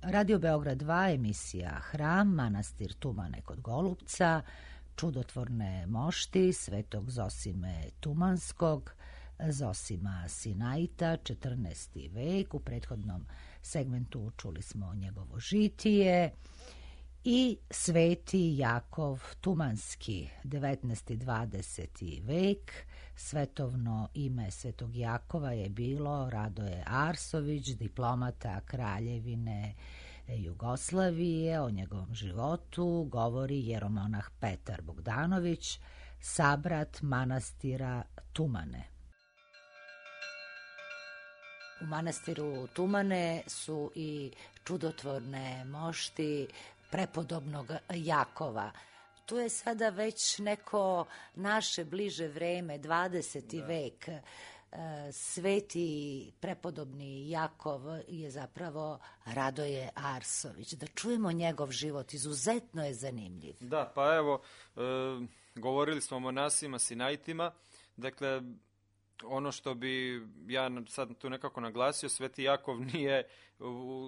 Radio Beograd 2, emisija Hram, manastir Tumane kod Golupca, čudotvorne mošti svetog Zosime Tumanskog, Zosima Sinaita, 14. vek. U prethodnom segmentu čuli smo njegovo žitije. I sveti Jakov Tumanski, 19. 20. vek. Svetovno ime svetog Jakova je bilo Radoje Arsović, diplomata Kraljevine Jugoslavije. O njegovom životu govori jeromonah Petar Bogdanović, sabrat manastira Tumane. U manastiru Tumane su i čudotvorne mošti prepodobnog Jakova. Tu je sada već neko naše bliže vreme, 20. vek. Sveti prepodobni Jakov je zapravo Radoje Arsović. Da čujemo njegov život, izuzetno je zanimljiv. Da, pa evo, govorili smo o monasima Sinaitima, dakle, ono što bi ja sad tu nekako naglasio, sveti Jakov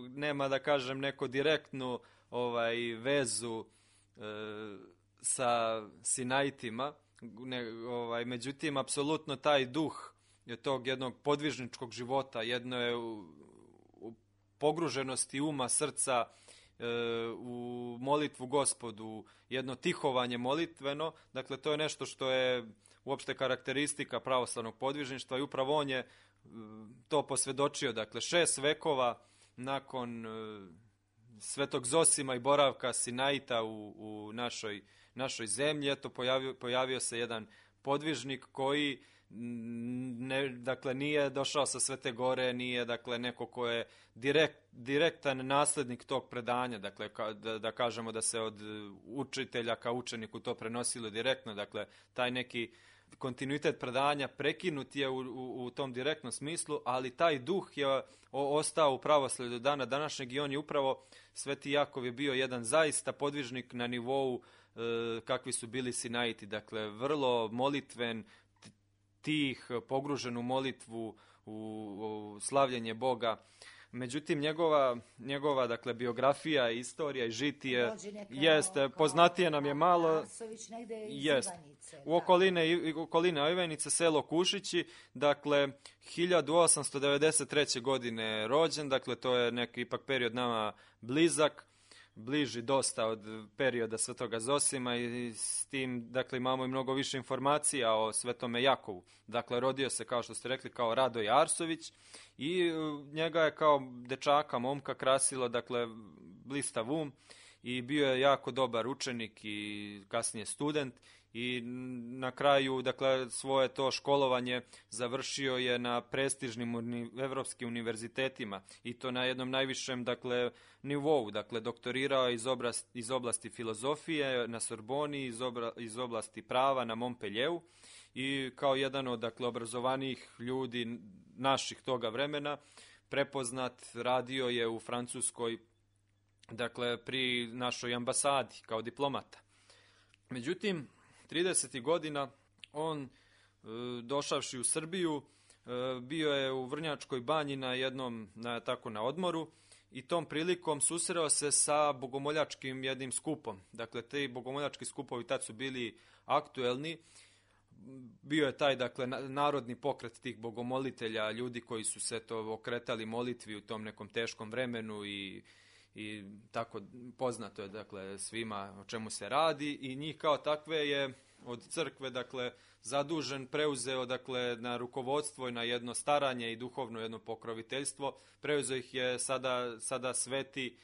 nema, da kažem, neko direktnu vezu sa Sinaitima, međutim, apsolutno taj duh tog jednog podvižničkog života, jedno je u pogruženosti uma, srca, u molitvu Gospodu, jedno tihovanje molitveno, dakle to je nešto što je uopšte karakteristika pravoslavnog podvižništva i upravo on je to posvjedočio, dakle 6 vekova nakon Svetog Zosima i boravka Sinaita u našoj zemlji, eto pojavio se jedan podvižnik koji dakle nije došao sa Svete Gore, nije dakle neko ko je direktan naslednik tog predanja, dakle da kažemo da se od učitelja ka učeniku to prenosilo direktno, dakle taj neki kontinuitet predanja prekinut je u tom direktnom smislu, ali taj duh je ostao u pravoslavlju do dana današnjeg i on je upravo, Sveti Jakov je bio jedan zaista podvižnik na nivou kakvi su bili Sinaiti, dakle vrlo molitven, tih, pogružen u molitvu, u slavljenje Boga. Međutim, njegova dakle, biografija, istorija i žitije jeste, poznatije nam je malo, u okoline Ivanice, selo Kušići, dakle 1893. godine rođen, dakle to je neki ipak period nama blizak, bliži dosta od perioda Svetoga Zosima i s tim, dakle, imamo i mnogo više informacija o Svetome Jakovu. Dakle, rodio se, kao što ste rekli, kao Radoje Arsović i njega je kao dečaka, momka krasilo, dakle, blistav um i bio je jako dobar učenik i kasnije student i na kraju, dakle, svoje to školovanje završio je na prestižnim evropskim univerzitetima i to na jednom najvišem, dakle, nivou, dakle, doktorirao iz oblasti filozofije na Sorboni, iz oblasti prava na Montpellieru i kao jedan od, dakle, obrazovanijih ljudi naših toga vremena, prepoznat, radio je u Francuskoj, dakle, pri našoj ambasadi kao diplomata. Međutim, 30. godina on, došavši u Srbiju, bio je u Vrnjačkoj banji na odmoru i tom prilikom susreo se sa bogomoljačkim jednim skupom. Dakle, ti bogomoljački skupovi tad su bili aktuelni. Bio je taj, dakle, narodni pokret tih bogomolitelja, ljudi koji su se to okretali molitvi u tom nekom teškom vremenu i tako poznato je, dakle, svima o čemu se radi i njih kao takve je od crkve, dakle, zadužen, preuzeo, dakle, na rukovodstvo i na jedno staranje i duhovno jedno pokroviteljstvo. Preuzeo ih je sada sveti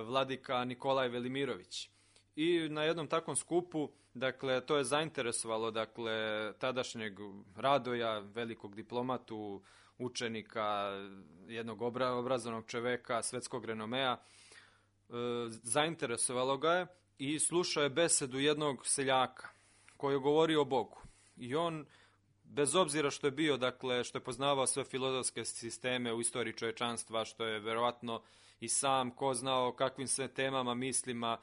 vladika Nikolaj Velimirović. I na jednom takvom skupu, dakle, to je zainteresovalo, dakle, tadašnjeg Radoja, velikog diplomatu, učenika, jednog obrazovnog čoveka, svetskog renomea, zainteresovalo ga je i slušao je besedu jednog seljaka koji je govorio o Bogu. I on, bez obzira što je bio, dakle, što je poznavao sve filozofske sisteme u istoriji čovječanstva, što je verovatno i sam ko znao kakvim sve temama, mislima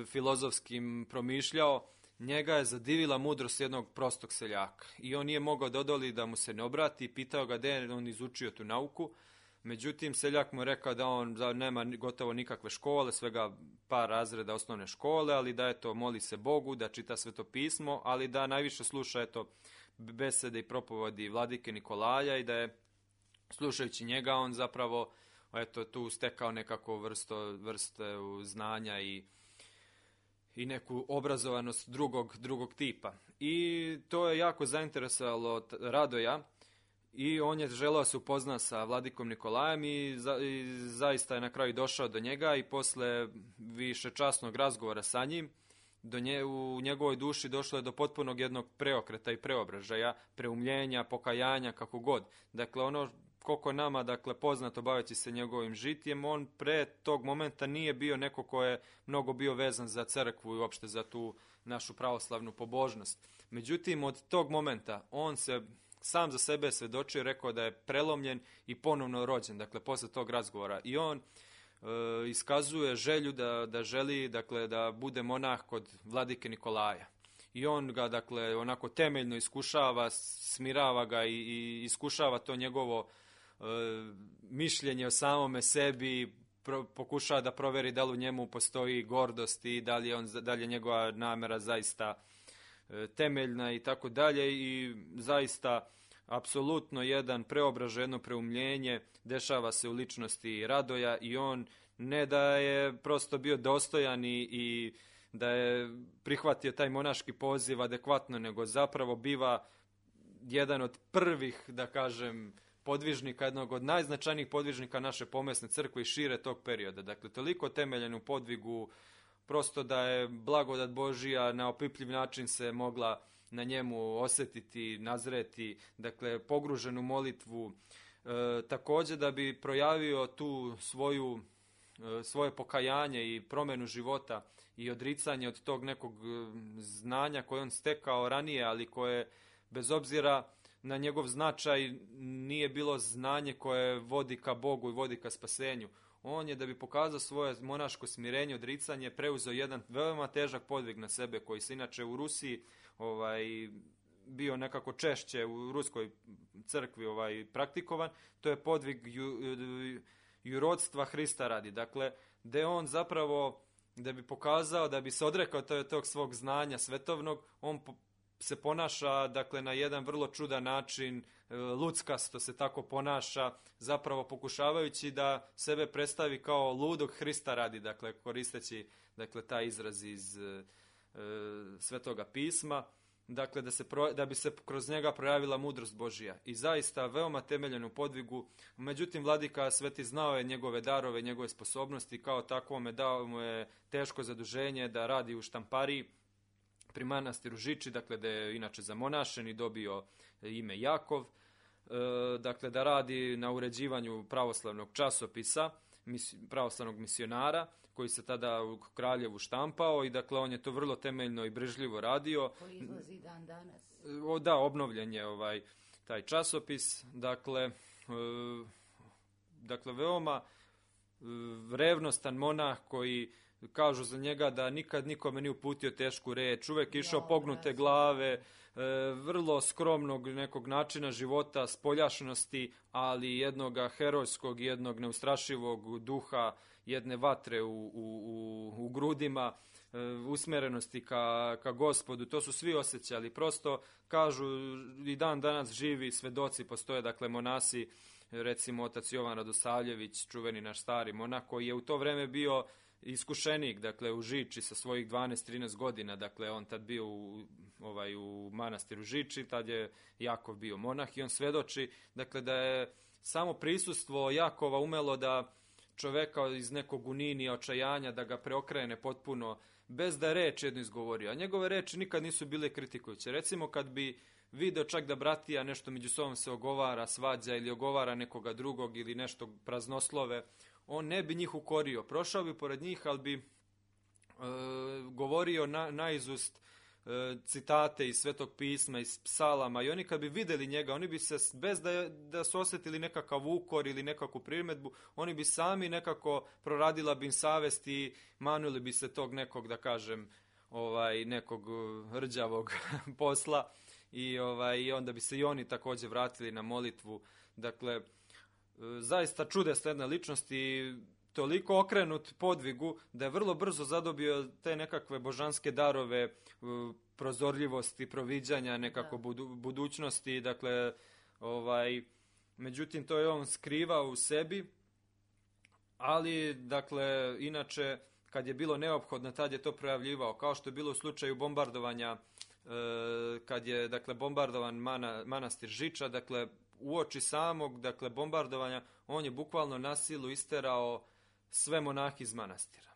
filozofskim promišljao, njega je zadivila mudrost jednog prostog seljaka. I on nije mogao da odoli da mu se ne obrati, pitao ga gde je on izučio tu nauku. Međutim, seljak mu je rekao da on nema gotovo nikakve škole, svega par razreda osnovne škole, ali da eto, moli se Bogu, da čita Sveto pismo, ali da najviše sluša eto, besede i propovedi vladike Nikolaja i da je, slušajući njega, on zapravo eto, tu stekao nekako vrste znanja i neku obrazovanost drugog tipa. I to je jako zainteresovalo Radoja i on je želeo se upozna sa vladikom Nikolajem i zaista je na kraju došao do njega i posle višečasnog razgovora sa njim u njegovoj duši došlo je do potpunog jednog preokreta i preobražaja, preumljenja, pokajanja, kako god. Dakle, ono koliko nama, dakle, poznato baveći se njegovim žitjem, on pre tog momenta nije bio neko ko je mnogo bio vezan za crkvu i uopšte za tu našu pravoslavnu pobožnost. Međutim, od tog momenta on se sam za sebe svedočio, rekao da je prelomljen i ponovno rođen, dakle, posle tog razgovora. I on iskazuje želju da želi, dakle, da bude monah kod vladike Nikolaja. I on ga, dakle, onako temeljno iskušava, smirava ga i iskušava to njegovo mišljenje o samome sebi, pokušava da proveri da li u njemu postoji gordost i da li je njegova namera zaista temeljna i tako dalje, i zaista apsolutno jedan preobražaj, jedno preumljenje dešava se u ličnosti Radoja, i on ne da je prosto bio dostojan i da je prihvatio taj monaški poziv adekvatno, nego zapravo biva jedan od prvih, da kažem, podvižnika, jednog od najznačajnijih podvižnika naše pomesne crkve i šire tog perioda. Dakle, toliko temeljen u podvigu, prosto da je blagodat Božija na opipljiv način se mogla na njemu osjetiti, nazreti, dakle, pogružen u molitvu. Također da bi projavio tu svoje pokajanje i promjenu života i odricanje od tog nekog znanja koje on stekao ranije, ali koje, bez obzira na njegov značaj, nije bilo znanje koje vodi ka Bogu i vodi ka spasenju. On je, da bi pokazao svoje monaško smirenje, odricanje, preuzeo jedan veoma težak podvig na sebe, koji se inače u Rusiji bio nekako češće u ruskoj crkvi praktikovan. To je podvig jurodstva Hrista radi. Dakle, gde on zapravo, da bi pokazao, da bi se odrekao tog svog znanja svetovnog, on se ponaša, dakle, na jedan vrlo čudan način, luckasto se tako ponaša, zapravo pokušavajući da sebe predstavi kao ludog Hrista radi, dakle, koristeći, dakle, taj izraz iz Svetoga pisma, dakle, da bi se kroz njega projavila mudrost Božija. I zaista veoma temeljen u podvigu. Međutim, vladika Sveti znao je njegove darove, njegove sposobnosti, kao takvome dao mu je teško zaduženje da radi u štampariji pri manastiru Žiči, dakle, da je inače zamonašen i dobio ime Jakov, dakle, da radi na uređivanju pravoslavnog časopisa, pravoslavnog misionara, koji se tada u Kraljevu štampao, i dakle, on je to vrlo temeljno i brižljivo radio. Koji izlazi dan danas. Da, obnovljen je taj časopis, dakle, veoma revnostan monah, koji kažu za njega da nikad nikome nije uputio tešku reč, uvek išao pognute glave, vrlo skromnog nekog načina života, spoljašnosti, ali jednog herojskog, jednog neustrašivog duha, jedne vatre u grudima, usmerenosti ka Gospodu. To su svi osjećali. Prosto kažu, i dan danas živi svedoci postoje, dakle, monasi, recimo otac Jovan Radosavljević, čuveni naš stari monah, koji je u to vreme bio iskušenik, dakle, u Žiči sa svojih 12-13 godina, dakle, on tad bio u manastiru Žiči, tad je Jakov bio monah, i on svedoči, dakle, da je samo prisustvo Jakova umelo da čoveka iz nekog uninija, očajanja, da ga preokrene potpuno, bez da je reč jedno izgovorio. A njegove reči nikad nisu bile kritikujuće. Recimo, kad bi video čak da bratija nešto među sobom se ogovara, svađa ili ogovara nekoga drugog ili nešto praznoslove, on ne bi njih ukorio. Prošao bi pored njih, ali bi govorio naizust citate iz Svetog pisma, iz psalama, i oni kad bi videli njega, oni bi se, bez da su osjetili nekakav ukor ili nekakvu primedbu, oni bi sami nekako, proradila bi im savest i manuli bi se tog nekog, da kažem, nekog rđavog posla, i onda bi se i oni također vratili na molitvu. Dakle, zaista čudesna jedna ličnost i toliko okrenut podvigu da je vrlo brzo zadobio te nekakve božanske darove, prozorljivosti, proviđanja, nekako budućnosti. Dakle, međutim, to je on skrivao u sebi, ali, dakle, inače, kad je bilo neophodno, tad je to projavljivao, kao što je bilo u slučaju bombardovanja, kad je, dakle, bombardovan manastir Žiča, dakle, uoči samog, dakle, bombardovanja, on je bukvalno na silu isterao sve monahe iz manastira.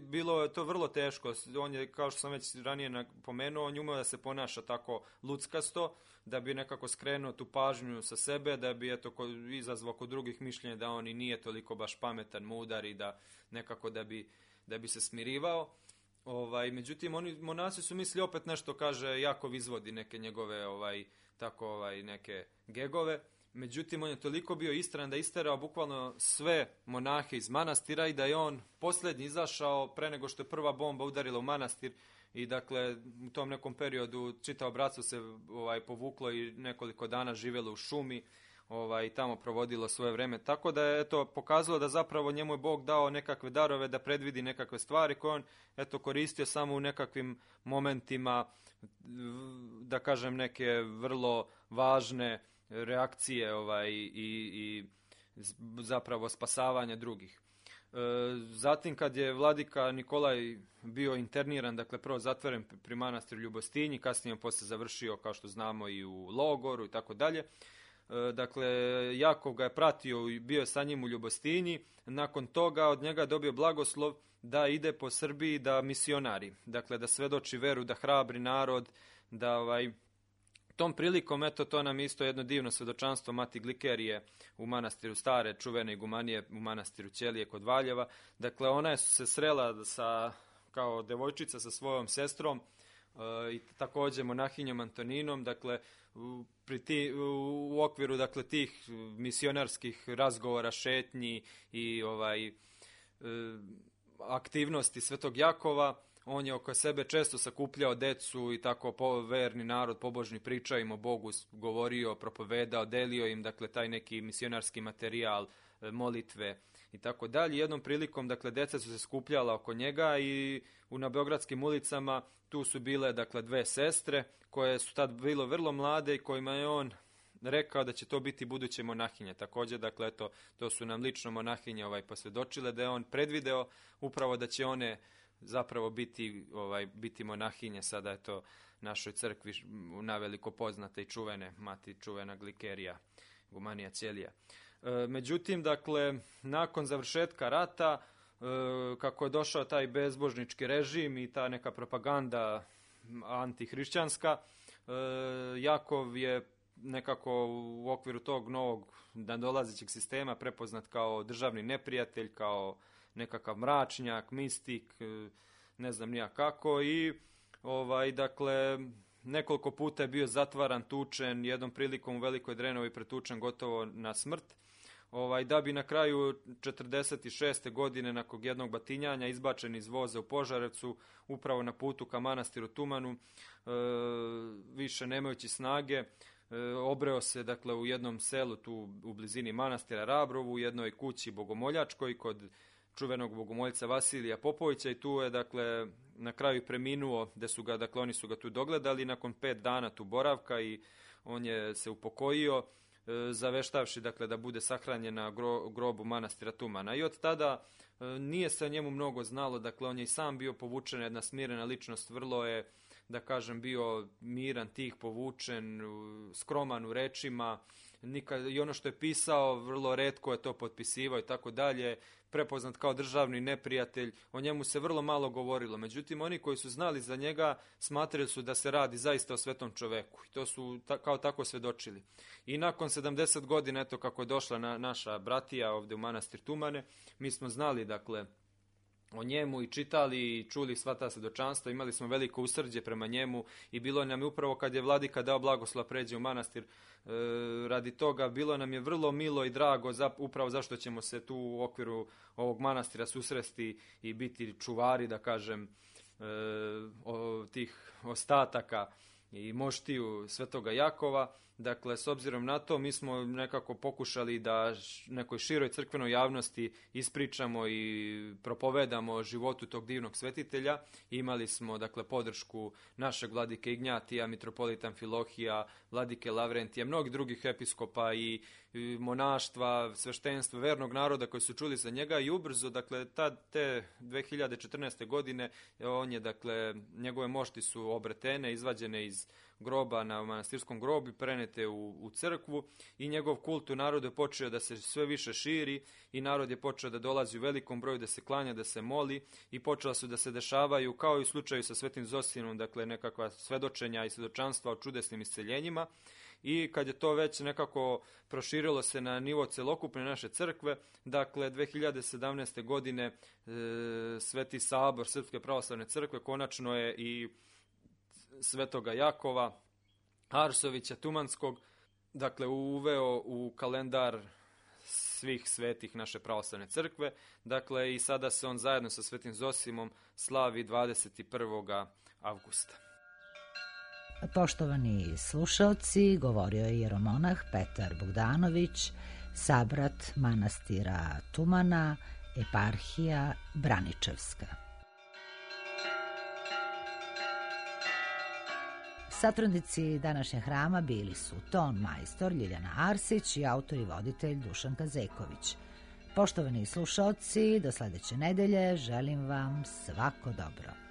Bilo je to vrlo teško. On je, kao što sam već ranije napomenuo, on je umeo da se ponaša tako luckasto, da bi nekako skrenuo tu pažnju sa sebe, da bi izazvao kod drugih mišljenja da on i nije toliko baš pametan, mudar, i da nekako da bi se smirivao. Međutim, monasi su mislili opet nešto, kaže, Jakov izvodi neke njegove neke gegove. Međutim, on je toliko bio istran da je isterao bukvalno sve monahe iz manastira, i da je on posljednji izašao pre nego što je prva bomba udarila u manastir, i dakle u tom nekom periodu čitavo bratstvo se povuklo i nekoliko dana živjelo u šumi. tamo provodilo svoje vreme. Tako da je to pokazalo da zapravo njemu je Bog dao nekakve darove da predvidi nekakve stvari koje on koristio samo u nekakvim momentima, da kažem neke vrlo važne reakcije i zapravo spasavanja drugih. Zatim kad je vladika Nikolaj bio interniran, dakle prvo zatvoren pri manastiru Ljubostinji, kasnije on posle završio, kao što znamo, i u logoru i tako dalje. Dakle, Jakov ga je pratio i bio sa njim u Ljubostinji. Nakon toga od njega dobio blagoslov da ide po Srbiji da misionari, dakle da svedoči veru, da hrabri narod, da tom prilikom, eto, to nam isto jedno divno svedočanstvo Mati Glikerije u manastiru Stare, čuvene igumanije u manastiru Ćelije kod Valjeva. Dakle, ona je se srela kao devojčica sa svojom sestrom i također monahinjom Antoninom, dakle, u okviru dakle tih misionarskih razgovora, šetnji i aktivnosti Svetog Jakova, on je oko sebe često sakupljao decu i tako verni narod, pobožni, pričao im o Bogu, govorio, propovedao, delio im dakle taj neki misionarski materijal, molitve i tako dalje. Jednom prilikom dakle deca su se skupljala oko njega i na beogradskim ulicama tu su bile dakle dve sestre koje su tad bilo vrlo mlade i kojima je on rekao da će to biti buduće monahinje. Također, dakle, eto, to su nam lično monahinje posvjedočile da je on predvideo upravo da će one zapravo biti monahinje. Sada je to našoj crkvi naveliko poznate i čuvene, Mati čuvena Glikerija, igumanija Ćelija. Međutim, dakle, nakon završetka rata, kako je došao taj bezbožnički režim i ta neka propaganda antihrišćanska, Jakov je nekako u okviru tog novog nadolazećeg sistema prepoznat kao državni neprijatelj, kao nekakav mračnjak, mistik, ne znam nija kako, i dakle nekoliko puta je bio zatvaran, tučen, jednom prilikom u Velikoj Drenovi pretučen gotovo na smrt, da bi na kraju 46. godine nakon jednog batinjanja izbačen iz voza u Požarevcu, upravo na putu ka manastiru Tumanu, više nemajući snage, obreo se dakle u jednom selu tu u blizini manastira Rabrovu, u jednoj kući bogomoljačkoj kod čuvenog bogomoljca Vasilija Popovića, i tu je dakle na kraju preminuo, dakle oni su ga tu dogledali nakon 5 dana tu boravka, i on je se upokojio, zaveštavši dakle da bude sahranjen na grobu manastira Tumana. I od tada nije se o njemu mnogo znalo, dakle on je i sam bio povučen, jedna smirena ličnost, vrlo je, da kažem, bio miran, tih, povučen, skroman u rečima, i ono što je pisao vrlo retko je to potpisivao i tako dalje, prepoznat kao državni neprijatelj, o njemu se vrlo malo govorilo. Međutim, oni koji su znali za njega smatrali su da se radi zaista o svetom čoveku i to su kao tako svedočili. I nakon 70 godina, eto kako je došla naša bratija ovdje u manastir Tumane, mi smo znali dakle o njemu i čitali i čuli sva ta svedočanstva, imali smo veliko usrđe prema njemu i bilo nam je upravo kad je vladika dao blagoslov pređe u manastir, radi toga bilo nam je vrlo milo i drago upravo zašto ćemo se tu u okviru ovog manastira susresti i biti čuvari, da kažem, tih ostataka i moštiju Svetoga Jakova. Dakle, s obzirom na to, mi smo nekako pokušali da nekoj široj crkvenoj javnosti ispričamo i propovedamo o životu tog divnog svetitelja. Imali smo, dakle, podršku našeg vladike Ignjatija, mitropolita Amfilohija, vladike Lavrentija, mnogih drugih episkopa i monaštva, sveštenstva, vernog naroda koji su čuli za njega, i ubrzo, dakle, te 2014. godine, on je, dakle, njegove mošti su obretene, izvađene iz groba na manastirskom grobu, prenete u crkvu, i njegov kult u narodu je počeo da se sve više širi i narod je počeo da dolazi u velikom broju, da se klanja, da se moli, i počela su da se dešavaju, kao i u slučaju sa Svetim Zosinom, dakle nekakva svedočenja i svedočanstva o čudesnim isceljenjima. I kad je to već nekako proširilo se na nivo celokupne naše crkve, dakle 2017. godine Sveti Sabor Srpske pravoslavne crkve konačno je i Svetoga Jakova Arsovića Tumanskog, dakle uveo u kalendar svih svetih naše pravoslavne crkve, dakle i sada se on zajedno sa Svetim Zosimom slavi 21. avgusta. Poštovani slušaoci, govorio je jeromonah Petar Bogdanović, sabrat manastira Tumana, eparhija Braničevska. Satrudnici današnjeg hrama bili su ton majstor Ljiljana Arsić i autor i voditelj Dušan Kazeković. Poštovani slušaoci, do sledeće nedelje želim vam svako dobro.